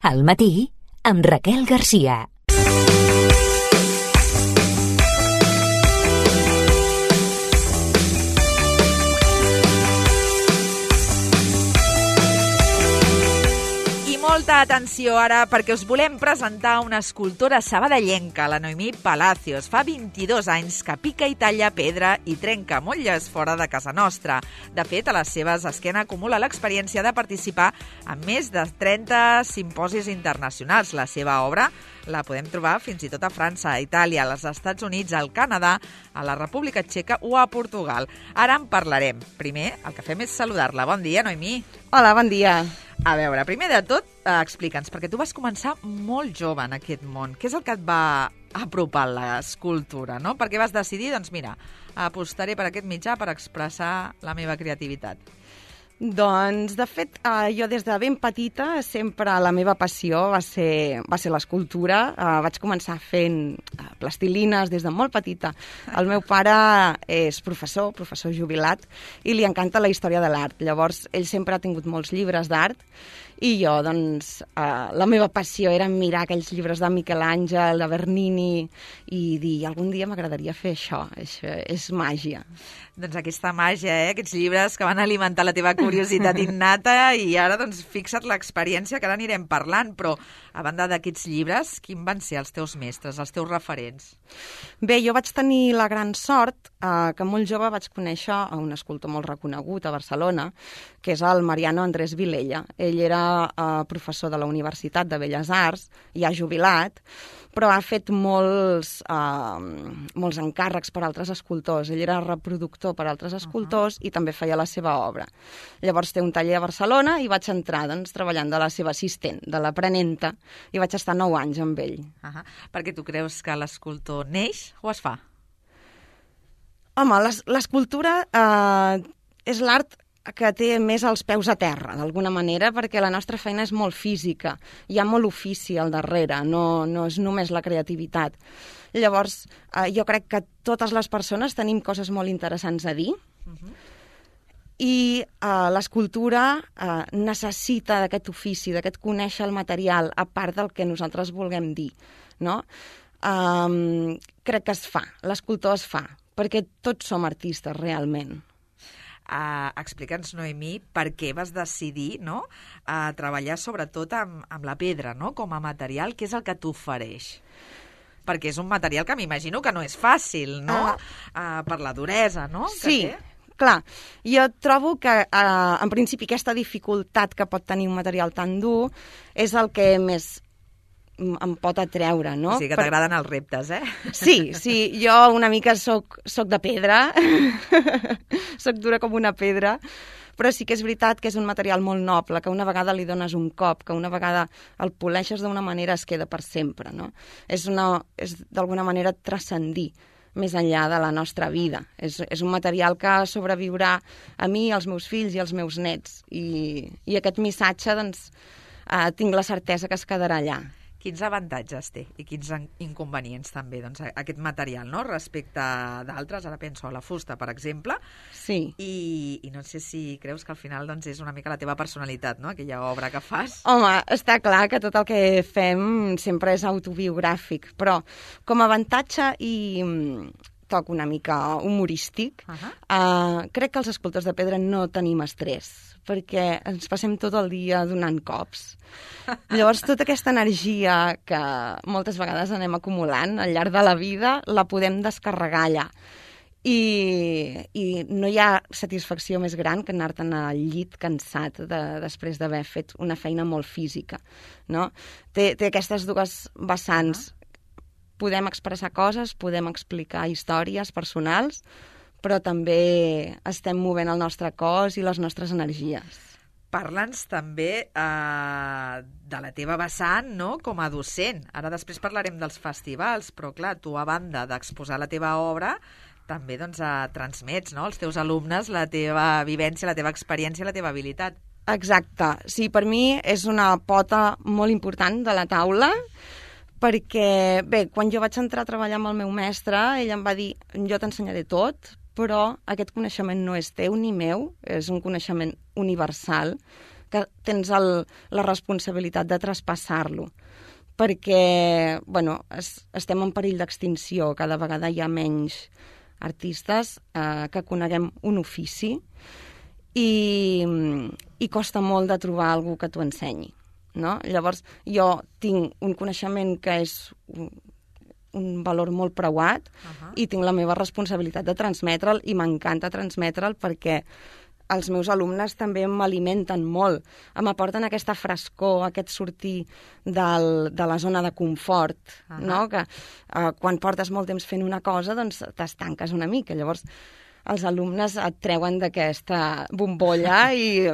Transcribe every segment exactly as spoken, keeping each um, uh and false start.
Al matí, amb Raquel Garcia. Molta atenció ara perquè us volem presentar una escultora sabadellenca, la Noemí Palacios. Fa vint-i-dos anys que pica i talla pedra i trenca motlles fora de casa nostra. De fet, a les seves esquena acumula l'experiència de participar en més de trenta simposis internacionals. La seva obra la podem trobar fins i tot a França, a Itàlia, als Estats Units, al Canadà, a la República Txeca o a Portugal. Ara en parlarem. Primer, el que fem és saludar-la. Bon dia, Noemí. Hola, bon dia. A veure, primer de tot, eh, explica'ns, perquè tu vas començar molt jove en aquest món. Què és el que et va apropar a l'escultura, no? Per què vas decidir, doncs mira, apostaré per aquest mitjà per expressar la meva creativitat? Doncs, de fet, eh, jo des de ben petita sempre la meva passió va ser, va ser l'escultura. Eh, vaig començar fent eh, plastilines des de molt petita. El meu pare és professor, professor jubilat, i li encanta la història de l'art. Llavors, ell sempre ha tingut molts llibres d'art i jo, doncs, eh, la meva passió era mirar aquells llibres de Miquel Àngel, de Bernini, i dir, algun dia m'agradaria fer això. Això és màgia. Doncs aquesta màgia, eh? Aquests llibres que van alimentar la teva curiositat innata i ara, doncs, fixa't l'experiència que ara anirem parlant, però a banda d'aquests llibres, quins van ser els teus mestres, els teus referents? Bé, jo vaig tenir la gran sort eh, que molt jove vaig conèixer a un escultor molt reconegut a Barcelona, que és el Mariano Andrés Vilella. Ell era eh, professor de la Universitat de Belles Arts, ja jubilat, però ha fet molts, eh, molts encàrrecs per altres escultors. Ell era reproductor per altres escultors uh -huh. i també feia la seva obra. Llavors té un taller a Barcelona i vaig entrar, doncs, treballant de la seva assistent, de l'aprenenta, i vaig estar nou anys amb ell. Uh -huh. Perquè tu creus que l'escultor neix o es fa? Home, l'escultura eh, és l'art que té més els peus a terra, d'alguna manera, perquè la nostra feina és molt física. Hi ha molt ofici al darrere, no, no és només la creativitat. Llavors, eh, jo crec que totes les persones tenim coses molt interessants a dir, uh-huh. i eh, l'escultura eh, necessita d'aquest ofici, d'aquest conèixer el material, a part del que nosaltres vulguem dir, no? Um, crec que es fa, l'escultor es fa, perquè tots som artistes, realment. Uh, Explica'ns, Noemí, per què vas decidir, no?, a treballar sobretot amb, amb la pedra, no?, com a material, què és el que t'ofereix? Perquè és un material que m'imagino que no és fàcil, no?, uh, uh, per la duresa, no?, que sí. té. Clar, jo trobo que, eh, en principi, aquesta dificultat que pot tenir un material tan dur és el que més em pot atreure, no? O sigui que t'agraden els reptes, eh? Sí, sí, jo una mica soc, soc de pedra, soc dura com una pedra, però sí que és veritat que és un material molt noble, que una vegada li dones un cop, que una vegada el poleixes d'una manera es queda per sempre, no? És, una, és d'alguna manera transcendir més enllà de la nostra vida. És, és un material que sobreviurà a mi, als meus fills i als meus nets. I, i aquest missatge, doncs, eh, tinc la certesa que es quedarà allà. Quins avantatges té i quins inconvenients també, doncs, aquest material, no?, respecte d'altres? Ara penso a la fusta, per exemple. Sí. I, i no sé si creus que al final, doncs, és una mica la teva personalitat, no?, aquella obra que fas. Home, està clar que tot el que fem sempre és autobiogràfic, però com a avantatge i toc una mica humorístic, uh -huh. uh, crec que els escultors de pedra no tenim estrès, perquè ens passem tot el dia donant cops. Llavors, tota aquesta energia que moltes vegades anem acumulant al llarg de la vida, la podem descarregar allà. I, i no hi ha satisfacció més gran que anar-te'n al llit cansat de, després d'haver fet una feina molt física, no? Té, té aquestes dues vessants. Podem expressar coses, podem explicar històries personals, però també estem movent el nostre cos i les nostres energies. Parla'ns també eh, de la teva vessant, no?, com a docent. Ara després parlarem dels festivals, però clar, tu a banda d'exposar la teva obra, també doncs, eh, transmets, no?, als teus alumnes la teva vivència, la teva experiència, la teva habilitat. Exacte. Sí, per mi és una pota molt important de la taula, perquè, bé, quan jo vaig entrar a treballar amb el meu mestre, ell em va dir, jo t'ensenyaré tot, però aquest coneixement no és teu ni meu, és un coneixement universal que tens el, la responsabilitat de traspassar-lo. Perquè, bueno, es, estem en perill d'extinció, cada vegada hi ha menys artistes eh, que coneguem un ofici i, i costa molt de trobar algú que t'ho ensenyi, no? Llavors, jo tinc un coneixement que és un, un valor molt preuat uh-huh. i tinc la meva responsabilitat de transmetre'l i m'encanta transmetre'l perquè els meus alumnes també m'alimenten molt, m'aporten aquesta frescor, aquest sortir del, de la zona de confort, uh-huh. no? Que eh, quan portes molt temps fent una cosa, doncs t'estanques una mica. Llavors, els alumnes et treuen d'aquesta bombolla i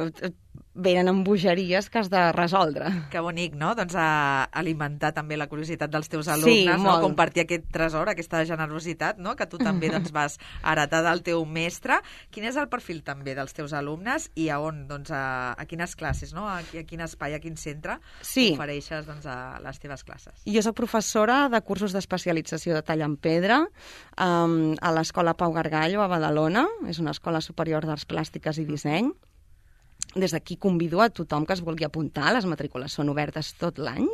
venen amb bogeries que has de resoldre. Que bonic, no? Doncs a alimentar també la curiositat dels teus alumnes, sí, no? Compartir aquest tresor, aquesta generositat, no? Que tu també doncs, vas heretar del teu mestre. Quin és el perfil també dels teus alumnes i a on, doncs, a, a quines classes, no? A, a quin espai, a quin centre sí. ofereixes doncs, a les teves classes? Jo soc professora de cursos d'especialització de tall en pedra um, a l'Escola Pau Gargallo a Badalona, és una escola superior d'arts plàstiques i disseny. Des d'aquí convido a tothom que es vulgui apuntar, les matrícules són obertes tot l'any.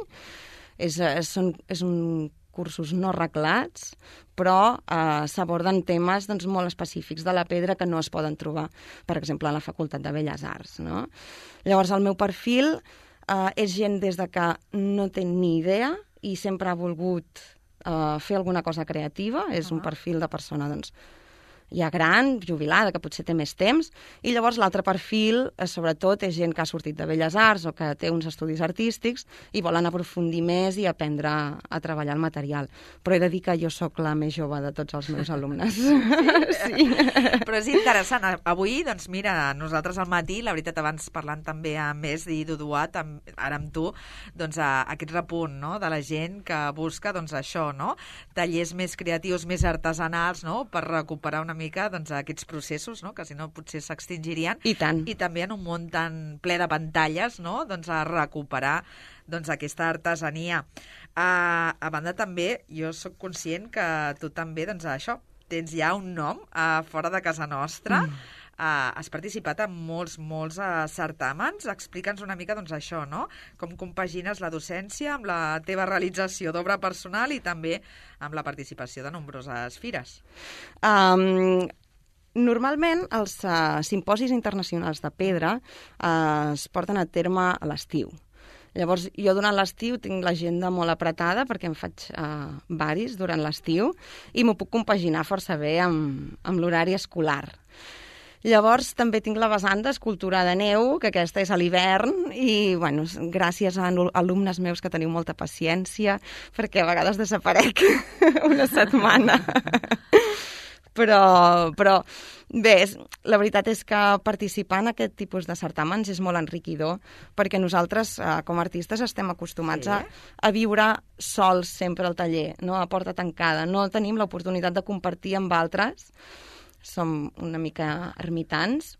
És, són, és un cursos no reglats, però eh, s'aborden temes doncs, molt específics de la pedra que no es poden trobar, per exemple, a la Facultat de Belles Arts. No? Llavors, el meu perfil eh, és gent des de que no té ni idea i sempre ha volgut eh, fer alguna cosa creativa. És uh-huh. un perfil de persona, doncs, ja gran, jubilada, que potser té més temps, i llavors l'altre perfil, eh, sobretot, és gent que ha sortit de Belles Arts o que té uns estudis artístics i volen aprofundir més i aprendre a, a treballar el material. Però he de dir que jo sóc la més jove de tots els meus alumnes. Sí. sí. Però és interessant. Avui, doncs mira, nosaltres al matí, la veritat, abans parlant també amb Més i Duduat, amb, ara amb tu, doncs a, aquest repunt, no?, de la gent que busca, doncs això, no?, tallers més creatius, més artesanals, no?, per recuperar una mica doncs, aquests processos, no?, que si no potser s'extingirien. I tant. I també en un món tan ple de pantalles, no?, doncs a recuperar doncs, aquesta artesania. Uh, a banda també, jo sóc conscient que tu també, doncs això, tens ja un nom uh, fora de casa nostra. Mm. Uh, has participat en molts, molts uh, certàmens. Explica'ns una mica doncs, això, no? Com compagines la docència amb la teva realització d'obra personal i també amb la participació de nombroses fires. Um, normalment els uh, simposis internacionals de pedra uh, es porten a terme a l'estiu. Llavors, jo durant l'estiu tinc l'agenda molt apretada perquè em faig uh, varis durant l'estiu i m'ho puc compaginar força bé amb, amb l'horari escolar. Llavors, també tinc la vessant d'escultura de neu, que aquesta és a l'hivern, i, bueno, gràcies a alumnes meus que teniu molta paciència, perquè a vegades desaparec una setmana. però, però, bé, la veritat és que participar en aquest tipus de certàmens és molt enriquidor, perquè nosaltres, com a artistes, estem acostumats sí. a, a viure sols sempre al taller, no? A porta tancada. No tenim l'oportunitat de compartir amb altres, som una mica ermitans.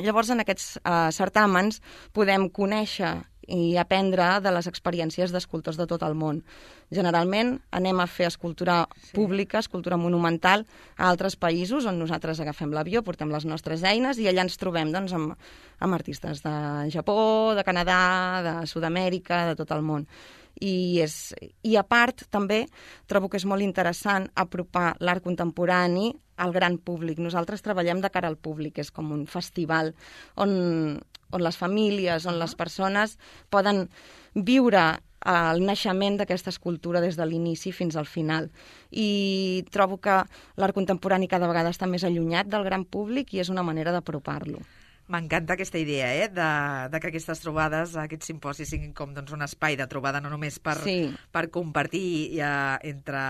Llavors, en aquests uh, certàmens podem conèixer i aprendre de les experiències d'escultors de tot el món. Generalment anem a fer escultura sí. pública, escultura monumental, a altres països on nosaltres agafem l'avió, portem les nostres eines i allà ens trobem doncs, amb, amb artistes de Japó, de Canadà, de Sud-amèrica, de tot el món. I, és, I a part, també, trobo que és molt interessant apropar l'art contemporani al gran públic. Nosaltres treballem de cara al públic, és com un festival on, on les famílies, on les persones poden viure el naixement d'aquesta escultura des de l'inici fins al final. I trobo que l'art contemporani cada vegada està més allunyat del gran públic i és una manera d'apropar-lo. M'encanta aquesta idea, eh? de, de que aquestes trobades, aquests simposis siguin com doncs, un espai de trobada no només per, sí. per compartir i, uh, entre,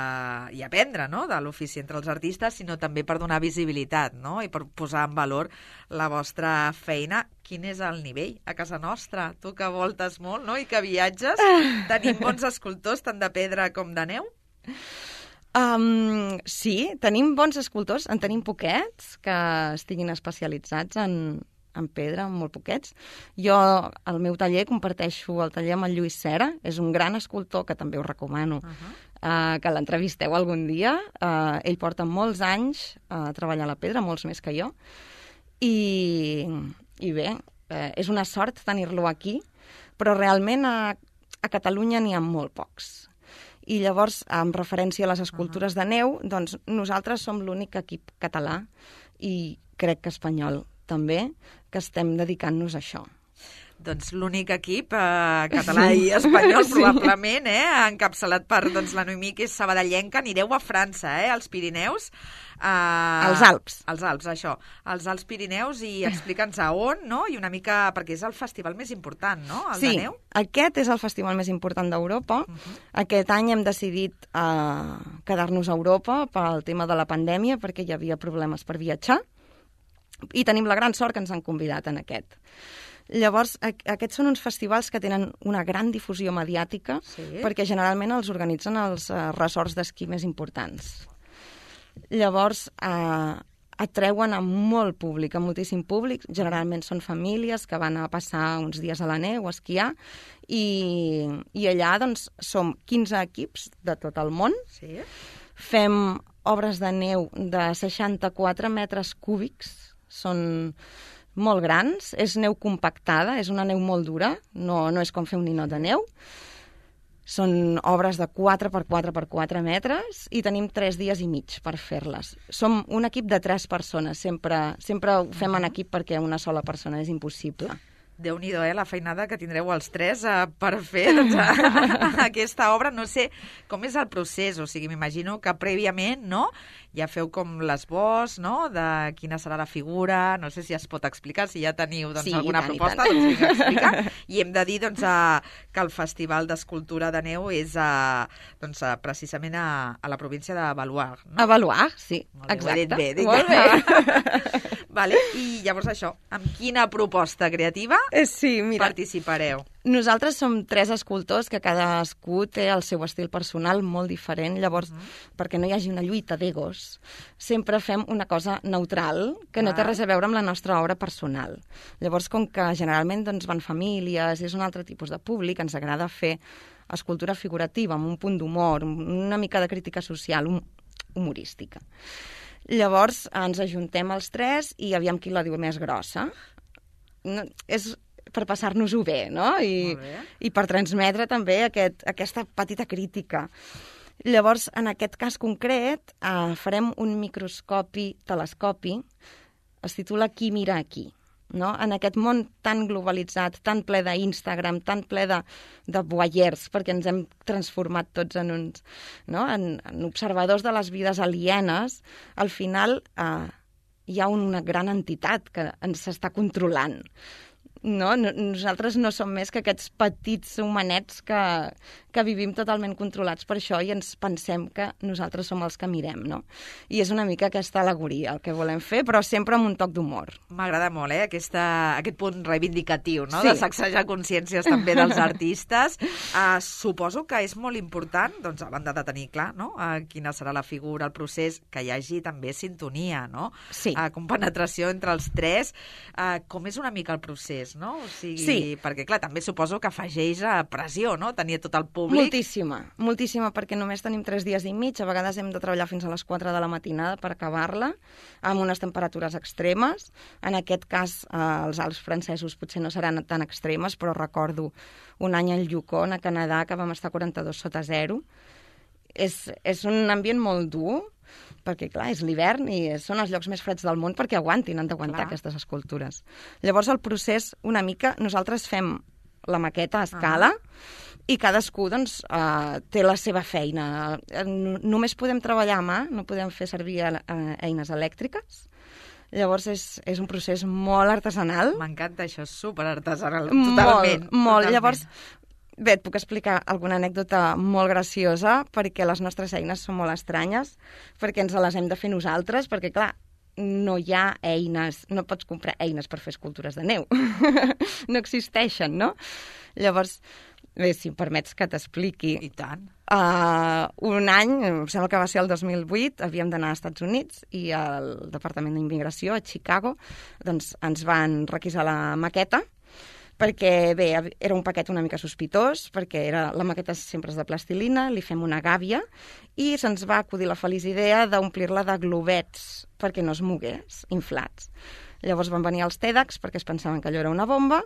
i aprendre no? de l'ofici entre els artistes, sinó també per donar visibilitat no? i per posar en valor la vostra feina. Quin és el nivell a casa nostra? Tu que voltes molt no? i que viatges, tenim bons escultors tant de pedra com de neu? Um, sí, tenim bons escultors, en tenim poquets que estiguin especialitzats en en pedra, molt poquets. Jo, al meu taller, comparteixo el taller amb el Lluís Cera, és un gran escultor, que també us recomano uh-huh. uh, que l'entrevisteu algun dia. Uh, ell porta molts anys a uh, treballar la pedra, molts més que jo. I, i bé, eh, és una sort tenir-lo aquí, però realment a, a Catalunya n'hi ha molt pocs. I llavors, en referència a les escultures uh -huh. de neu, doncs nosaltres som l'únic equip català i crec que espanyol també, que estem dedicant-nos a això. Doncs l'únic equip eh, català i espanyol, sí. probablement, eh, encapçalat per doncs, la Noemí, que és sabadellenca. Anireu a França, eh, als Pirineus. Eh, als Alps. Als Alps, això. Als Alps Pirineus, i explica'ns a on, no? I una mica, perquè és el festival més important, no?, el sí, de neu. Aquest és el festival més important d'Europa. Uh -huh. Aquest any hem decidit eh, quedar-nos a Europa pel tema de la pandèmia, perquè hi havia problemes per viatjar, i tenim la gran sort que ens han convidat en aquest. Llavors, aquests són uns festivals que tenen una gran difusió mediàtica, sí. perquè generalment els organitzen els uh, resorts d'esquí més importants. Llavors, eh, atreuen a molt públic, a moltíssim públic. Generalment són famílies que van a passar uns dies a la neu, a esquiar, i, i allà doncs, som quinze equips de tot el món. Sí. Fem obres de neu de seixanta-quatre metres cúbics, són molt grans, és neu compactada, és una neu molt dura, no, no és com fer un ninot de neu. Són obres de quatre per quatre per quatre metres i tenim tres dies i mig per fer-les. Som un equip de tres persones, sempre, sempre ho fem en equip perquè una sola persona és impossible. Déu-n'hi-do, eh, la feinada que tindreu els tres eh, per fer doncs, a, aquesta obra. No sé com és el procés, o sigui, m'imagino que prèviament, no?, ja feu com l'esbós, no?, de quina serà la figura. No sé si es pot explicar, si ja teniu doncs, sí, alguna tant, proposta, doncs vinga, explica. I hem de dir doncs, a, que el Festival d'Escultura de Neu és a, doncs, a, precisament a, a la província de Baluard, no? A Baluard, sí, Molt bé, exacte. Ho he dit bé, dic. Molt bé. Vale. I llavors això, amb quina proposta creativa sí, mira, participareu? Nosaltres som tres escultors que cadascú té el seu estil personal molt diferent, llavors, uh -huh. perquè no hi hagi una lluita d'egos, sempre fem una cosa neutral, que no té res a veure amb la nostra obra personal. Llavors, com que generalment doncs, van famílies, és un altre tipus de públic, ens agrada fer escultura figurativa, amb un punt d'humor, una mica de crítica social, hum humorística. Llavors, ens ajuntem els tres i aviam qui la diu més grossa. No, és per passar-nos-ho bé, no? I, bé. i per transmetre també aquest, aquesta petita crítica. Llavors, en aquest cas concret, eh, farem un microscopi-telescopi, es titula Qui mira aquí. No? En aquest món tan globalitzat, tan ple d'Instagram, tan ple de, de voyeurs, perquè ens hem transformat tots en uns, no? en, en observadors de les vides alienes, al final eh, hi ha una gran entitat que ens està controlant. No? Nosaltres no som més que aquests petits homenets que, que vivim totalment controlats per això i ens pensem que nosaltres som els que mirem, no? I és una mica aquesta al·legoria el que volem fer, però sempre amb un toc d'humor. M'agrada molt, eh, aquesta, aquest punt reivindicatiu, no?, sí. de sacsejar consciències també dels artistes. Uh, suposo que és molt important, doncs, a banda de tenir clar, no?, uh, quina serà la figura, el procés, que hi hagi també sintonia, no?, sí. uh, compenetració entre els tres. Uh, com és una mica el procés, no? O sigui, sí. Perquè, clar, també suposo que afegeix a pressió, no?, tenir tot el públic. Moltíssima, moltíssima, perquè només tenim tres dies i mig, a vegades hem de treballar fins a les quatre de la matinada per acabar-la, amb unes temperatures extremes. En aquest cas, eh, els Alps francesos potser no seran tan extremes, però recordo un any al Yukon, a Canadà, que vam estar quaranta-dos sota zero. És, és un ambient molt dur, perquè, clar, és l'hivern i són els llocs més freds del món perquè aguantin, han d'aguantar aquestes escultures. Llavors, el procés, una mica, nosaltres fem la maqueta a escala uh -huh. i cadascú, doncs, eh, té la seva feina. Només podem treballar a mà, no podem fer servir eh, eines elèctriques. Llavors, és, és un procés molt artesanal. M'encanta això, és superartesanal, totalment. Totalment, molt. totalment. Llavors, bé, et puc explicar alguna anècdota molt graciosa, perquè les nostres eines són molt estranyes, perquè ens les hem de fer nosaltres, perquè, clar, no hi ha eines, no pots comprar eines per fer escultures de neu. No existeixen, no? Llavors, bé, si em permets que t'expliqui. I tant. Uh, un any, em sembla que va ser el dos mil vuit, havíem d'anar als Estats Units i al Departament d'Immigració, a Chicago, doncs ens van requisar la maqueta, perquè, bé, era un paquet una mica sospitós, perquè era, la maqueta sempre és de plastilina, li fem una gàbia, i se'ns va acudir la feliç idea d'omplir-la de globets perquè no es mogués, inflats. Llavors van venir els TEDx perquè es pensaven que allò era una bomba,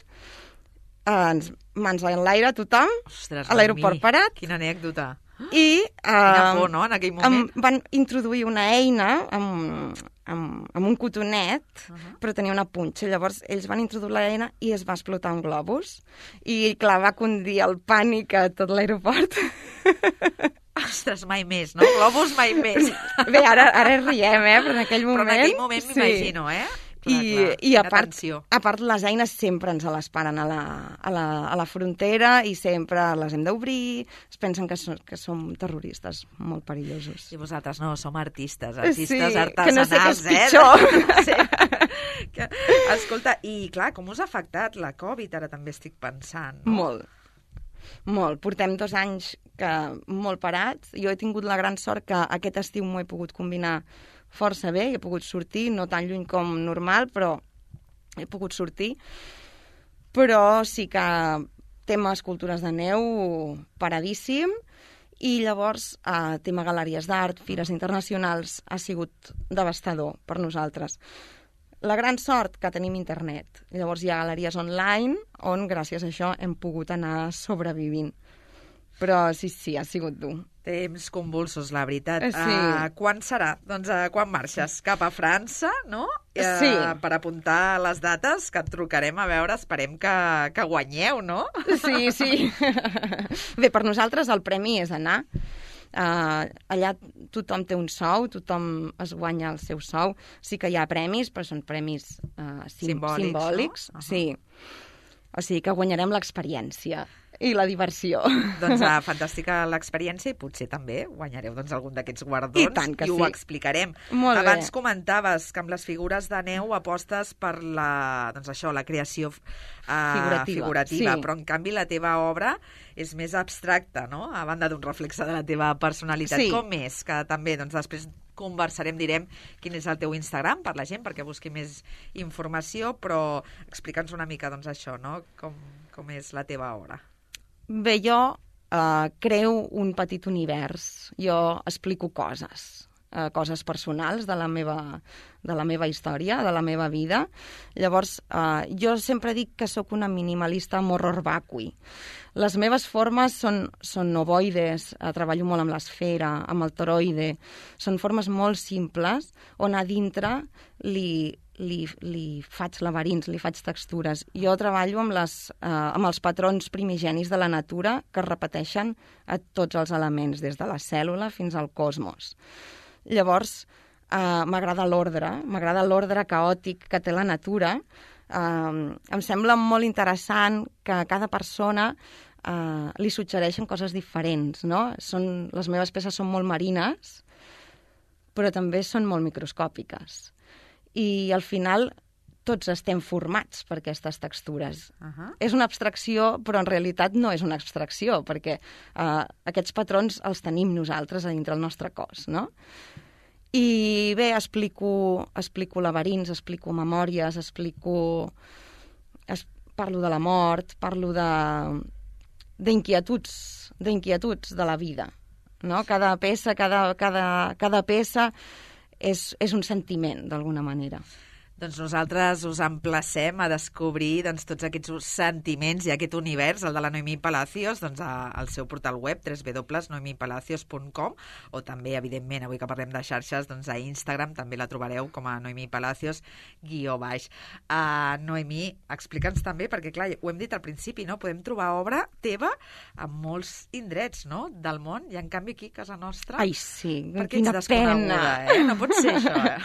ens, mans en l'aire tothom, Ostres, a l'aeroport Noemí, parat. Quina anècdota. I Quina uh, por, no?, en aquell moment. em, van introduir una eina amb, amb, amb un cotonet, uh -huh. però tenia una punxa. Llavors ells van introduir l'eina i es va explotar un globus. I clar, va condir el pànic a tot l'aeroport. Ostres, mai més, no? Globus mai més. Bé, ara, ara riem, eh? Però en aquell moment... Però en aquell moment m'imagino, eh? Clar, I, clar, i a, part, tensió. a part les eines sempre ens les paren a la, a la, a la frontera i sempre les hem d'obrir, es pensen que, so, que som terroristes molt perillosos. I vosaltres no, som artistes, artistes sí, artesanals, que no sé què és eh? pitjor. Sí. Que, escolta, i clar, com us ha afectat la Covid? Ara també estic pensant. No? Molt. Molt. Portem dos anys que molt parats. Jo he tingut la gran sort que aquest estiu m'ho he pogut combinar força bé, he pogut sortir, no tan lluny com normal, però he pogut sortir. Però sí que tema escultures de neu paradíssim, i llavors eh, tema galeries d'art, fires internacionals, ha sigut devastador per nosaltres. La gran sort que tenim internet. Llavors hi ha galeries online on gràcies a això hem pogut anar sobrevivint. Però sí, sí, ha sigut dur. Temps convulsos, la veritat. Sí. Uh, quan serà? Doncs uh, quan marxes? Cap a França, no? Uh, Sí. Per apuntar les dates, que et trucarem a veure, esperem que, que guanyeu, no? Sí, sí. Bé, per nosaltres el premi és anar. Uh, allà tothom té un sou, tothom es guanya el seu sou. Sí que hi ha premis, però són premis uh, sim Simbòlics, simbòlics. no? Uh-huh. Sí. O sigui que guanyarem l'experiència i la diversió. Doncs uh, fantàstica l'experiència i potser també guanyareu doncs, algun d'aquests guardons I tant que i ho sí. explicarem. Molt bé. Abans comentaves que amb les figures de neu apostes per la, doncs això, la creació uh, Figurativa, figurativa sí. però en canvi la teva obra és més abstracta, no? A banda d'un reflexe de la teva personalitat. Sí. Com és? Que també doncs, després conversarem, direm quin és el teu Instagram per la gent, perquè busqui més informació, però explica'ns una mica doncs, això, no? Com, com és la teva obra. Bé, jo eh, creo un petit univers. Jo explico coses, eh, coses personals de la meva, de la meva història, de la meva vida. Llavors, eh, jo sempre dic que sóc una minimalista morror vacui. Les meves formes són, són ovoides, eh, treballo molt amb l'esfera, amb el toroide. Són formes molt simples on a dintre li... Li, li faig laberints, li faig textures. Jo treballo amb, les, eh, amb els patrons primigenis de la natura que es repeteixen a tots els elements, des de la cèl·lula fins al cosmos. Llavors, eh, m'agrada l'ordre, m'agrada l'ordre caòtic que té la natura. Eh, em sembla molt interessant que a cada persona eh, li suggereixen coses diferents, no? Són, les meves peces són molt marines, però també són molt microscòpiques. I al final tots estem formats per aquestes textures. Uh-huh. És una abstracció, però en realitat no és una abstracció, perquè uh, aquests patrons els tenim nosaltres a dintre el nostre cos, no? I bé, explico, explico laberints, explico memòries, explico... Es, parlo de la mort, parlo de d'inquietuds, d'inquietuds de la vida, no? Cada peça, cada, cada, cada peça és, és un sentiment, d'alguna manera. Doncs nosaltres us emplacem a descobrir doncs, tots aquests sentiments i aquest univers, el de la Noemí Palacios, doncs, a, al seu portal web w w w punt noemí palacios punt com, o també, evidentment, avui que parlem de xarxes, doncs a Instagram també la trobareu com a Noemí Palacios guió baix. Uh, Noemí, explica'ns també, perquè clar, ho hem dit al principi, no? Podem trobar obra teva en molts indrets, no?, del món, i en canvi aquí, a casa nostra... Ai, sí, perquè quina ets desconeguda, pena. eh? No pot ser això, eh?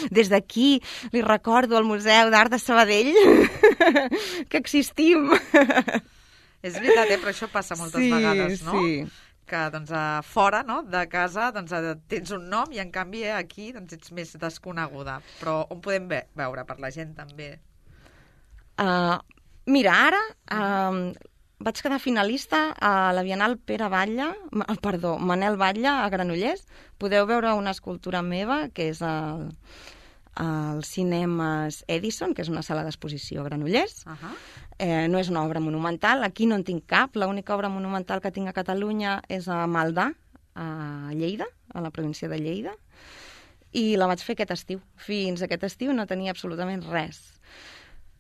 Des d'aquí li recordo al Museu d'Art de Sabadell que existim. És veritat, eh? Però això passa moltes sí, vegades, no? Sí, Que doncs, a fora, no?, de casa doncs, tens un nom i en canvi eh, aquí doncs, ets més desconeguda. Però on podem ve veure per la gent també? Uh, mira, ara uh, vaig quedar finalista a la Bienal Pere Batlle, uh, perdó, Manel Batlle a Granollers. Podeu veure una escultura meva que és al, al Cinemes Edison, que és una sala d'exposició a Granollers. Uh -huh. Eh, no és una obra monumental, aquí no en tinc cap. L'única obra monumental que tinc a Catalunya és a Maldà, a Lleida, a la província de Lleida. i la vaig fer aquest estiu. Fins aquest estiu no tenia absolutament res.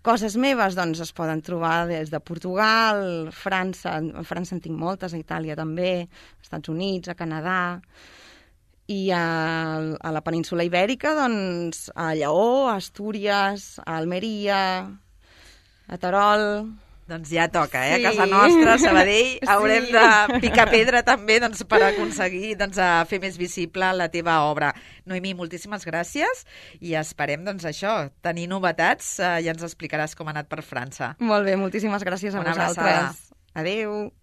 Coses meves, doncs, es poden trobar des de Portugal, França, a França en tinc moltes, a Itàlia també, als Estats Units, a Canadà, i a, a la península Ibèrica, doncs, a Lleó, a Astúries, a Almeria, a Terol... Doncs ja toca, eh? Sí. A casa nostra, a Sabadell, Sí. haurem de picar pedra també doncs, per aconseguir doncs, a fer més visible la teva obra. Noemí, moltíssimes gràcies i esperem doncs, això, tenir novetats eh, i ens explicaràs com ha anat per França. Molt bé, moltíssimes gràcies a Una vosaltres. abraçada. Adéu.